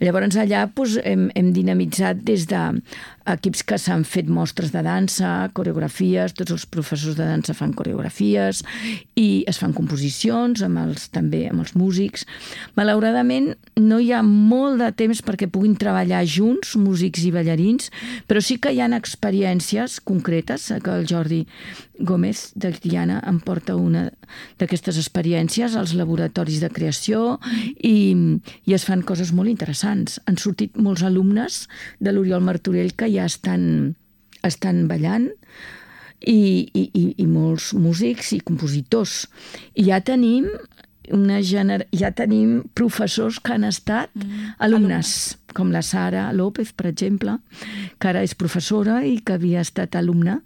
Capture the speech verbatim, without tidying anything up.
Llavors allà doncs, hem, hem dinamitzat des d'equips que s'han fet mostres de dansa, coreografies, tots els professors de dansa fan coreografies i es fan composicions amb els, també amb els músics. Malauradament no hi ha molt de temps perquè puguin treballar junts, músics i ballarins, però sí que hi ha experiències concretes, que el Jordi Gómez de Tiana em porta una d'aquestes experiències als laboratoris de creació i, i es fan coses molt interessants. Han sortit molts alumnes de l'Oriol Martorell que ja estan, estan ballant i, i, i molts músics i compositors. I ja tenim una gener... ja tenim professors que han estat mm. alumnes, com la Sara López, per exemple, que ara és professora i que havia estat alumna